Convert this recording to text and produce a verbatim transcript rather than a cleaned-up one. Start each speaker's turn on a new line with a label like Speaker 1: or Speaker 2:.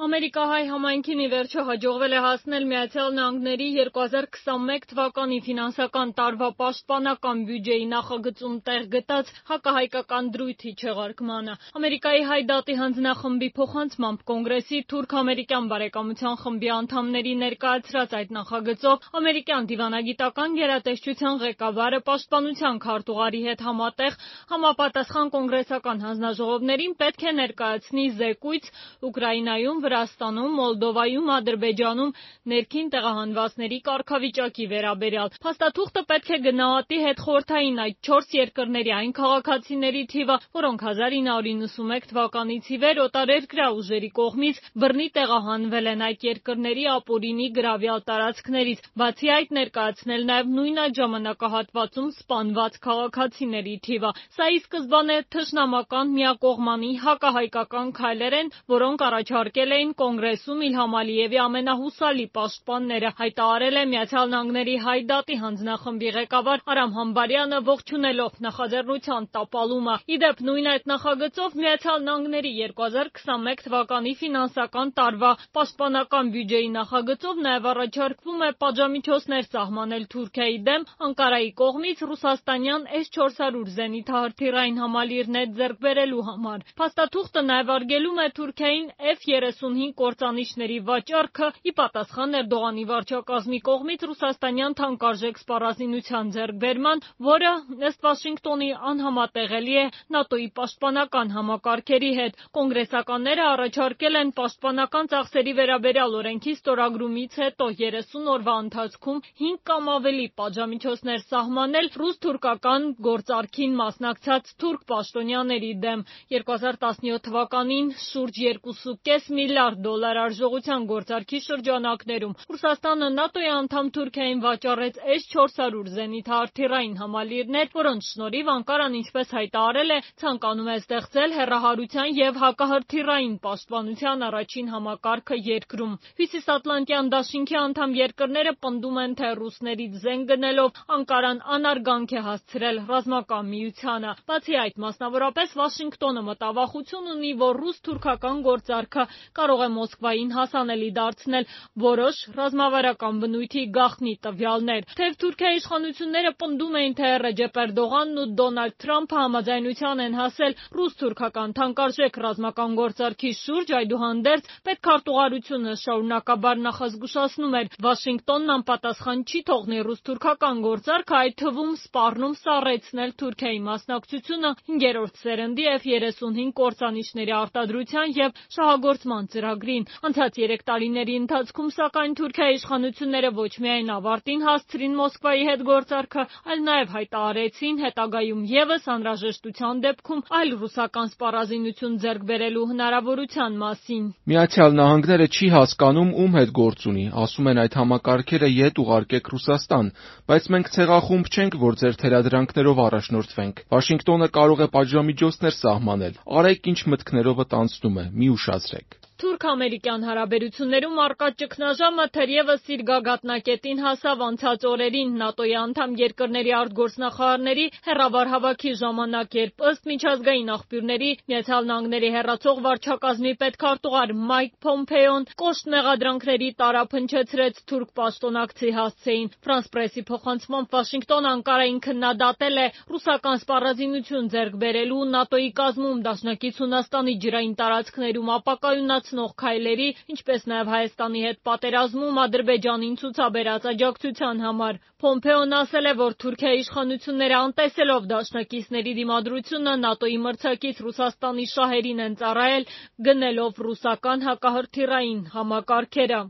Speaker 1: Ամերիկահայ համայնքին ի վերջո հաջողվել է հասնել Միացյալ Նահանգների երկու հազար քսանմեկ թվականի ֆինանսական տարվա պաշտպանական բյուջեի նախագծում տեղ գտած հակահայկական դրույթի չեղարկմանը։ Ամերիկայի Հայ դատի հանձնախմբի փոխանցմամբ Կոնգրեսի թուրք-ամերիկյան բարեկամության խմբի անդամների ներկայացրած այդ նախագծով ամերիկյան դիվանագիտական գերատեսչության ղեկավարը պաշտպանության քարտուղարի հետ համատեղ համապատասխան կոնգրեսական հանձնաժողովներին պետք է ներկայացնի զեկույց Ուկրաինայում, Վրաստանում, Մոլդովայում, Ադրբեջանում ներքին տեղահանվածների կարգավիճակի վերաբերյալ։ Փաստաթուղթը պետք է գնահատի հետխորհրդային այդ չորս երկրների այն քաղաքացիների թիվը, որոնք հազար ինը հարյուր իննսունմեկ թվականից ի վեր օտարերկրյա ուժերի կողմից բռնի տեղահանվել են այդ երկրների ապօրինի գրավյալ տարածքներից, բացի այդ ներկայացնել նաև նույն այդ ժամանակահատվածում սպանված քաղաքացիների թիվը։ Սա ի սկզբանե թշնամական միակողմանի հակահայկական քայլեր են, որոնք առաջարկել էին Կոնգրեսում Իլհամ Ալիևի ամենահուսալի պաշտպանները, հայտարարել է Միացյալ Նահանգների Հայ դատի հանձնախմբի ղեկավար Արամ Համբարյանը, ողջունելով նախաձեռնության տապալումը։ Ի դեպ, նույն այդ նախագծով Միացյալ Նահանգների երկու հազար քսանմեկ թվականի ֆինանսական տարվա պաշտպանական բյուջեի նախագծով նաև առաջարկվում է պատժամիջոցներ սահմանել Թուրքիայի դեմ Անկարայի կողմից ռուսաստանյան էս չորս հարյուր զենիթահրթիռային համալիրներ ձեռք բերելու համար։ Փաստաթուղթը նաև արգելում է Թուրքիային Էֆ երեսունհինգ կործանիչների վաճառքը՝ ի պատասխան Էրդողանի վարչակազմի կողմից ռուսաստանյան թանկարժեք սպառազինության ձեռքբերման, որը ըստ Վաշինգտոնի անհամատեղելի է ՆԱՏՕ-ի պաշտպանական համակարգերի հետ։ Կոնգրեսականները առաջարկել են պաշտպանական ծախսերի վերաբերյալ օրենքի ստորագրումից հետո երեսուն օրվա ընթացքում հինգ կամ ավելի պատժամիջոցներ սահմանել ռուս-թուրքական գործարքին մասնակցած թուրք պաշտոնյաների դեմ։ երկու հազար տասնյոթ թվականին շուրջ երկուսուկես միլիարդ դոլար արժողության գործարքի շրջանակներում Ռուսաստանը ՆԱՏՕ-ի անդամ Թուրքիային վաճառեց էս չորս հարյուր զենիթահրթիռային համալիրներ, որոնց շնորհիվ Անկարան, ինչպես հայտարարել է, ցանկանում է ստեղծել հեռահարության և հակահրթիռային պաշտպանության առաջին համակարգը երկրում։ Հյուսիսատլանտյան դաշինքի անդամ երկրները պնդում են, թե ռուսներից զենք գնելով Անկարան անարգանք է հասցրել ռազմական միությանը։ Բացի այդ, մասնավորապես Վաշինգտոնը մտավախություն ունի, որ ռուս-թուրքական գործարքը կարող է Մոսկվային հասանելի դարձնել որոշ ռազմավարական բնույթի գաղտնի տվյալներ։ Թեև Թուրքիայի իշխանությունները պնդում էին, թե Ռեջեփ Էրդողանն ու Դոնալդ Թրամփը համաձայնության են հասել ռուս-թուրքական թանկարժեք ռազմական գործարքի շուրջ, այդուհանդերձ պետքարտուղարությունը շարունակաբար նախազգուշացնում էր՝ Վաշինգտոնն անպատասխան չի թողնի ռուս-թուրքական գործարքը, այդ թվում սպառնում սառեցնել Թուրքիայի մասնակցությունը հինգերորդ սերնդի Էֆ երեսունհինգ կործանիչների արտադրության և շահագործման ծրագրին։ Անցած երեք տարիների ընթացքում, սակայն, Թուրքիայի իշխանությունները ոչ միայն ավարտին հասցրին Մոսկվայի հետ գործարքը, այլ նաև հայտարարեցին հետագայում ևս անհրաժեշտության դեպքում այլ ռուսական սպառազինություն ձեռք բերելու հնարավորության մասին։
Speaker 2: Միացյալ Նահանգները չի հասկանում ում հետ գործ ունի, ասում են այդ համակարգերը ետ ուղարկեք Ռուսաստան, բայց մենք ցեղախումբ չենք, որ ձեր թելադրանքներով առաջնորդվենք։ Վաշինգտոնը կարող է պատժամիջոցներ սահմանել։ Արեք ինչ մտքներովդ անցնում է, մի ուշացրեք։
Speaker 1: Թուրք-ամերիկյան հարաբերություններում առկա ճգնաժամը թերևս իր գագաթնակետին հասավ անցած օրերին ՆԱՏՕ-ի անդամ երկրների արտգործնախարարների հեռավար հավաքի ժամանակ, երբ ըստ միջազգային աղբյուրների Միացյալ Նահանգների հեռացող վարչակազմի պետքարտուղար Մայք Փոմփեոն կոշտ մեղադրանքների տարափ հնչեցրեց թուրք պաշտոնակցի հասցեին։ Ֆրանս պրեսի փոխանցմամբ Վաշինգտոնը Անկարային քննադատել է ռուսական սպառազինություն ձեռք բերելու ՆԱՏՕ-ի կազմում դաշնակից Հունաստանի ջրային տարածքներում ապակայունացնող քայլերի, ինչպես նաև Հայաստանի հետ պատերազմում Ադրբեջանին ցուցաբերած աջակցության համար։ Փոմփեոն ասել է, որ Թուրքիայի իշխանությունները անտեսելով դաշնակիցների դիմադրությունը ՆԱՏՕ-ի մրցակից Ռուսաստանի շահերին են ծառայել, գնելով ռուսական հակահրթիռային համակարգերը։